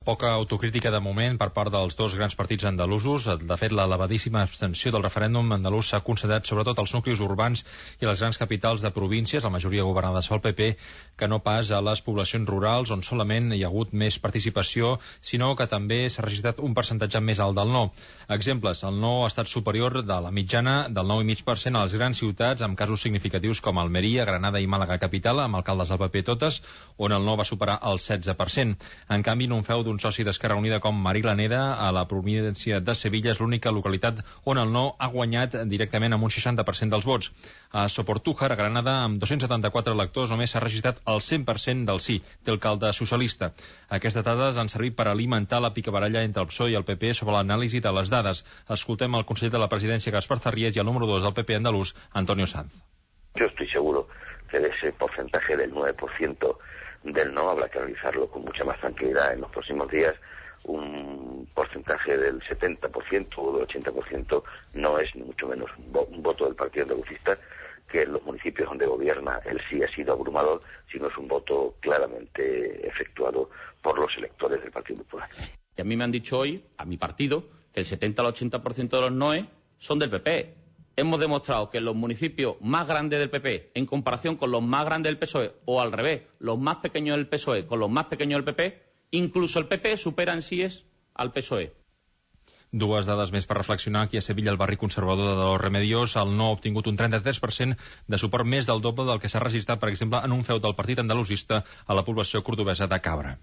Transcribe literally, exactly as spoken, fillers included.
Poca autocrítica de moment per part dels dos grans partits andalusos. De fet, l'elevadíssima abstenció del referèndum andalús s'ha concentrat sobretot als nuclis urbans i les grans capitals de províncies, la majoria governades pel P P, que no pas a les poblacions rurals, on solament hi ha hagut més participació, sinó que també s'ha registrat un percentatge més alt del no. Exemples, el no ha estat superior de la mitjana del nou coma cinc per cent a les grans ciutats, amb casos significatius com Almeria, Granada i Màlaga capital, amb alcaldes del P P totes, on el no va superar el setze per cent. En canvi, no un feu d'un soci d'Esquerra Unida com Mariglaneda, a la província de Sevilla, és l'única localitat on el no ha guanyat directament amb un seixanta per cent dels vots. A Soportújar, a Granada, amb dos-cents setanta-quatre electors, només s'ha registrat el cent per cent del sí, té alcalde socialista. Aquestes dades han servit per alimentar la picabaralla entre el P S O E i el P P sobre l'anàlisi de les dades. Escoltem el conseller de la presidència, Gaspar Zarrías, i el número dos del P P andalús, Antonio Sanz. Yo estoy seguro que de ese porcentaje del nueve por ciento del no habrá que analizarlo con mucha más tranquilidad en los próximos días. Un porcentaje del setenta por ciento o del ochenta por ciento no es ni mucho menos un voto del Partido Andalucista, que en los municipios donde gobierna el sí ha sido abrumador, sino es un voto claramente efectuado por los electores del Partido Popular. Y a mí me han dicho hoy, a mi partido, que el setenta al ochenta por ciento de los noes son del P P. Hemos demostrado que en los municipios más grandes del P P, en comparación con los más grandes del P S O E, o al revés, los más pequeños del P S O E con los más pequeños del P P, incluso el P P supera en síes al P S O E. Dues dades més per reflexionar. Aquí a Sevilla, el barri conservador de los Remedios, el no ha obtingut un trenta-tres per cent de suport, més del doble del que s'ha registrat, per exemple, en un feu del partit andalusista a la població cordobesa de Cabra.